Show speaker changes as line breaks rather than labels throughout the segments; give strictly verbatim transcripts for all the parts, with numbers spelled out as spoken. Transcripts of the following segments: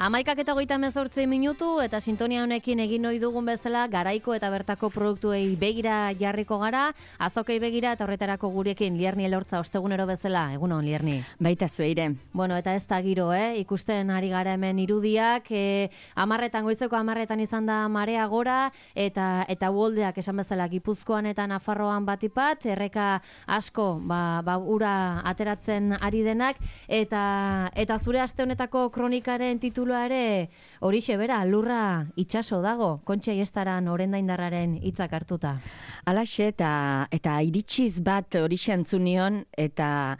Amaikak eta hogeita hemezortzi minutu eta sintonia honekin egin ohi dugun bezala garaiko eta bertako produktuei begira jarriko gara, azokei begira eta horretarako gurekin Lierni Elortza ostegunero bezala. Egunon, Lierni.
Baita zueire.
Bueno, eta ez da giro, eh? Ikusten ari gara hemen irudiak, eh, amarretan, goizeko amarretan izan da marea gora, eta eta uholdeak esan bezala Gipuzkoan eta Nafarroan batipat, erreka asko, ba, ba ura ateratzen ari denak, eta eta zure aste honetako kronikaren titulu ere horixe bera, lurra itsaso dago, Kontxa Iestaran orendaindarraren hitzak hartuta.
Alaxe eta eta iritsiz bat horixe entzunion eta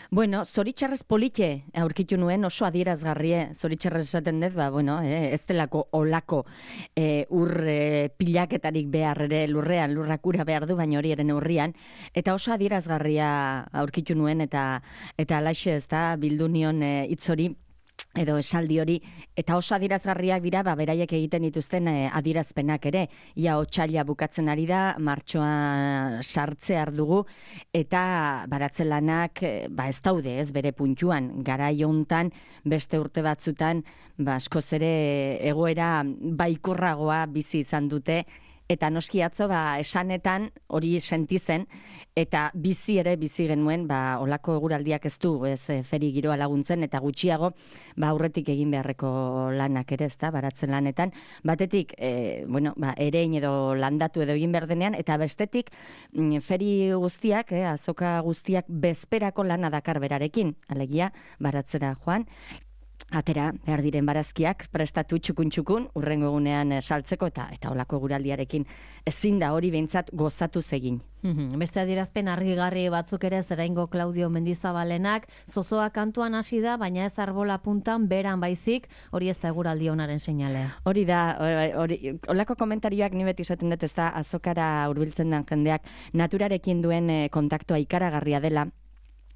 bueno, zoritxarrez polite aurkitu nuen, oso adierazgarrie, zoritxarrez esaten dut, ba, bueno, eh, ez delako olako eh, ur eh, pilaketarik behar ere lurrean, lurrak ura behar du, baina hori eren urrian, eta oso adierazgarria aurkitu nuen, eta eta alaxe ez da, bildu nion eh, hitz hori, edo esaldi hori, eta oso adierazgarriak dira, ba, beraiek egiten dituzten eh, adierazpenak ere. Ia otsaila bukatzen ari da, martxoa sartzear dugu, eta baratzen lanak, eh, ba, ez daude, ez, bere puntuan, garai hontan, beste urte batzutan, ba, askoz ere egoera baikorragoa bizi izan dute, eta noski atzo, ba, esanetan hori sentizen, eta bizi ere bizi genuen, ba, olako eguraldiak ez du, ez, feri giroa laguntzen, eta gutxiago, ba, aurretik egin beharreko lanak ere, ez da, baratzen lanetan. Batetik, e, bueno, ba, erein edo landatu edo egin behar denean, eta bestetik, feri guztiak, eh, azoka guztiak bezperako lana dakar berarekin, alegia, baratzera joan, atera behar diren barazkiak prestatu txukun-txukun, urrengo egunean saltzeko eta eta olako guraldiarekin ezin da hori behintzat gozatu zegin.
Beste adierazpen argigarri batzuk ere Zeraingo Klaudio Mendizabalenak, zozoa kantuan hasi da, baina ez arbola puntan beran baizik, hori ez da eguraldi onaren seinale.
Hori da, hori, olako komentarioak ni beti esaten dut, ez da azokara hurbiltzen den jendeak naturarekin duen kontaktua ikaragarria dela,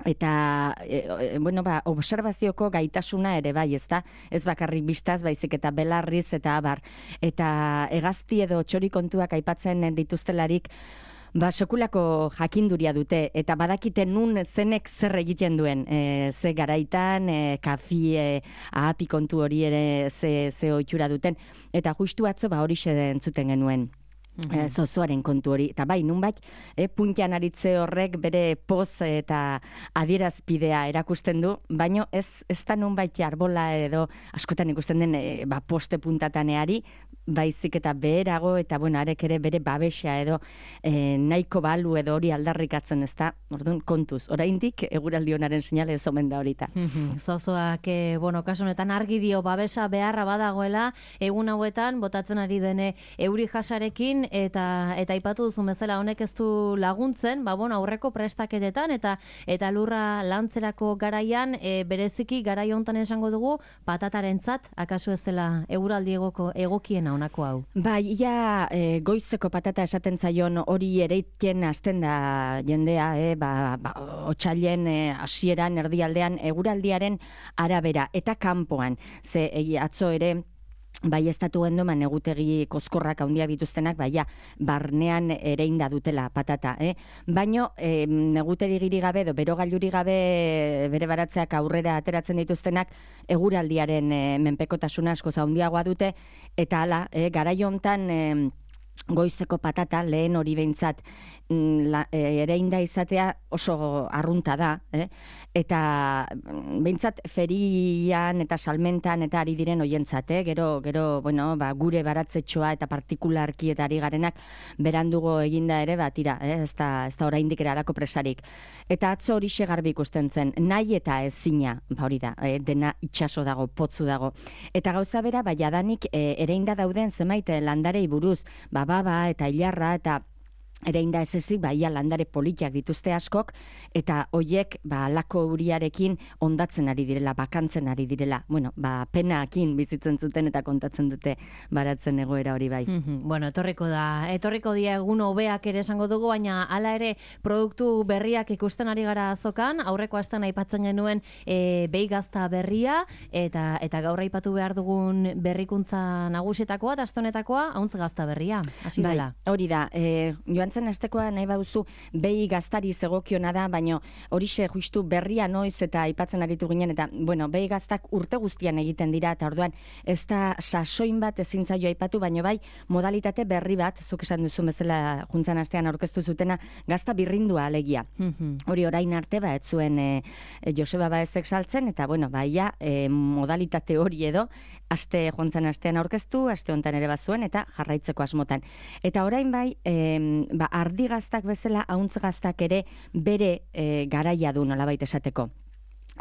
eta e, bueno, ba, observazioko gaitasuna ere bai, ez da, ez bakarrik bistaz, baizik eta belarriz eta abar, eta hegazti edo txori kontuak aipatzen dituztelarik, ba, sekulako jakinduria dute, eta badakite nun zenek zer egiten duen, e, ze garaitan, e, kafi, e, ahapi kontu hori ere ze, ze ohitura duten, eta justu atzo ba hori entzuten genuen. Mm-hmm. Zozoaren kontu hori, eta bai, nunbait, eh, puntian aritze horrek bere poz eta adierazpidea erakusten du, baino ez, ez da nunbait arbola edo askotan ikusten den eh, ba, poste puntataneari, baizik eta beherago, eta bueno, arek ere bere babesa edo eh, nahiko balu edo hori aldarrikatzen, ez da, orduan, kontuz, oraindik eguraldi honaren seinale ez omen da horita.
Mm-hmm. Zozoak, eh, bueno, kasu honetan argi dio babesa beharra badagoela, egun hauetan, botatzen ari dene euri jasarekin, eta eta aipatu duzu bezala honek ez du laguntzen, ba bueno, aurreko prestaketetan eta eta lurra lantzerako garaian e, bereziki garai hontan esango dugu patatarentzat akaso ez dela eguraldi egoko egokiena honako hau.
Bai, ja e, goizeko patata esaten zaion hori ereiten hasten da jendea, eh, ba, ba otsailen hasieran erdialdean eguraldiaren arabera eta kanpoan. Ze e, atzo ere bai estatu gendoman negutegi koskorrak handiak dituztenak, baina barnean ere inda dutela patata, eh? Baino eh, negutegi giri gabe edo berogailuri gabe bere baratzeak aurrera ateratzen dituztenak eguraldiaren eh, menpekotasuna asko handiagoa dute, eta hala, eh, garai hontan eh, goizeko patata, lehen hori behintzat, la, e, ere inda izatea oso arrunta da, eh? Eta behintzat ferian eta salmentan eta ari diren hoientzat, eh? Gero, gero bueno, ba, gure baratzetxoa eta partikularki eta ari garenak berandugo eginda ere, bat ira, eh? ez da, ez da oraindik ere halako presarik. Eta atzo hori garbi ikusten zen, nahi eta ezina, ba hori da, eh? Dena itsaso dago, potzu dago. Eta gauza bera, ba, jadanik eh, ere inda dauden zenbait landarei buruz, ba, baba eta ilarra eta Erein da ez ezik, ba, ia landare politiak dituzte askok, eta hoiek, ba, lako uriarekin ondatzen ari direla, bakantzen ari direla. Bueno, ba, penakin bizitzen zuten eta kontatzen dute baratzen egoera hori bai.
Mm-hmm. Bueno, etorriko da, etorriko dia egun hobeak ere esango dugu, baina hala ere produktu berriak ikusten ari gara azokan, aurreko astean aipatzen genuen e, beigazta berria, eta eta gaur aipatu behar dugun berrikuntza nagusietakoa, eta astonetakoa, hauntz gazta berria, hasi
bai,
dela.
Hori da, e, joan joan zen astekoa nahi bauzu behi gaztari zegokiona da, baino horixe justu berria noiz eta aipatzen aritu ginen, eta bueno, behi gaztak urte guztian egiten dira, eta orduan ez da sasoin bat ezin zaio aipatu, baino bai modalitate berri bat, zuk esan duzu bezala juntzan astean aurkeztu zutena, gazta birrindua alegia. Hori orain arte ba ez zuen e, e, Joseba Baezek saltzen, eta bueno, baia e, modalitate hori edo aste jontzan astean aurkeztu, aste hontan ere bazuen eta jarraitzeko asmotan. Eta orain bai, e, ba ardi gaztak bezala ahuntz gaztak ere bere e, garaia du nolabait esateko.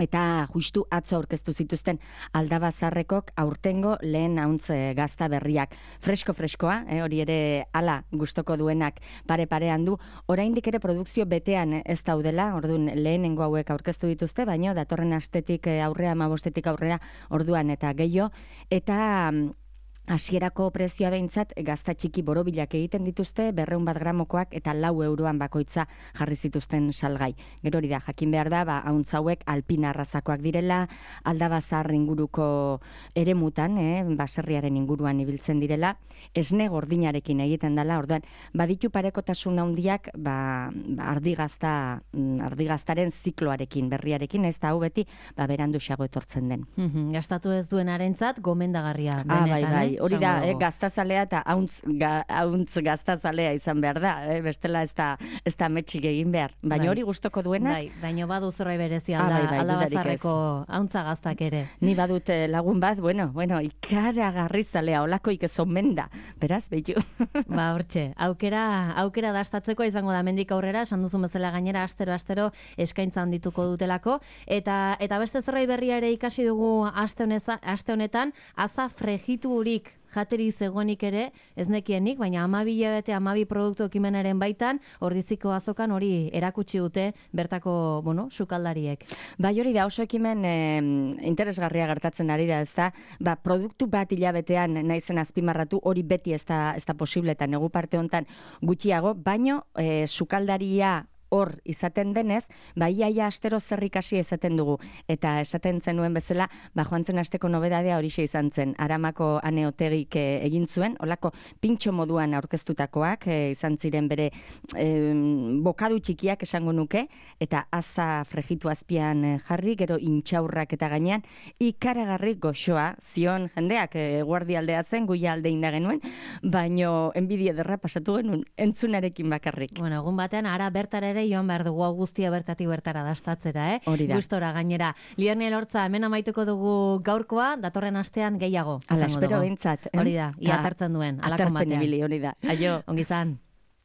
Eta justu atzo aurkeztu zituzten Aldabazarrekok aurtengo lehen ahuntz gazta berriak. Fresko-freskoa, eh, hori ere ala gustoko duenak pare-parean du. Oraindik ere produkzio betean ez daudela, orduan lehenengo hauek aurkeztu dituzte, baino datorren astetik aurrea, hamabostetik aurrera orduan eta gehiago. Eta hasierako prezioa behintzat gazta txiki borobilak egiten dituzte, berreun bat gramokoak eta lau euroan bakoitza jarri zituzten salgai. Gero hori da, jakin behar da, ba, hauntz hauek alpina arrazakoak direla, Aldabazar inguruko eremutan, eh, baserriaren inguruan ibiltzen direla, esne gordinarekin egiten dela, orduan, baditu parekotasun handiak, ba, ba, ardigazta, ardigaztaren zikloarekin, berriarekin, ez da hau beti, ba, beranduxago etortzen den.
Mm-hmm. Gastatu ez duenarentzat gomendagarria.
Ah, bai, bai. Hori da, eh, gaztazalea eta hauntz, ga, hauntz gaztazalea izan behar da, eh, bestela ez da, ez da metxik egin behar. Baina hori gustoko duenak.
Bai, baina badu zerbait berezia alda, ah, bai, bai, Aldabazarreko hauntza gaztak ere.
Ni badut lagun bat, bueno, bueno, ikaragarri zalea, olakoik ez omen da. Beraz, behitu.
Ba, hortxe, aukera, aukera dastatzeko izango da mendik aurrera, esan duzun bezala gainera, astero, astero eskaintza handituko dutelako. Eta, eta beste zerbait berria ere ikasi dugu aste, honeza, aste honetan, aza frejitu hurik jateri zegoenik ere, ez nekienik, baina amabi hilabete, amabi produktu ekimenaren baitan, ordiziko azokan hori erakutsi dute bertako, bueno, sukaldariek.
Bai, hori da, oso ekimen eh, interesgarria gertatzen ari da, ez da, ba, produktu bat hilabetean naizen azpimarratu, hori beti ez da, ez da posible, eta negu parte hontan gutxiago, baino eh, sukaldaria hor izaten denez, ba iaia astero zer ikasi esaten dugu. Eta esaten zenuen bezala, ba joan zen asteko nobedadea horixe izan zen. Aramako Ane Otegik e, egin zuen, olako pintxo moduan aurkeztutakoak, e, izan ziren bere e, bokadu txikiak esango nuke, eta aza frejitu azpian jarri, gero intxaurrak eta gainean, ikaragarri goxoa, zion jendeak e, guardialdea zen, guia alde inda genuen, baino enbidia derra pasatu genuen, entzunarekin bakarrik.
Bueno, egun batean, ara bertara ere joan behar dugu hau guztia bertatik bertara dastatzera, eh?
Hori da.
Gustora gainera. Lierne Elortza, hemen amaituko dugu gaurkoa, datorren astean gehiago.
Ala, espero behintzat.
Hori da, ia atartzen duen.
Atarpen ibili, hori da. Aio.
Ongi zan.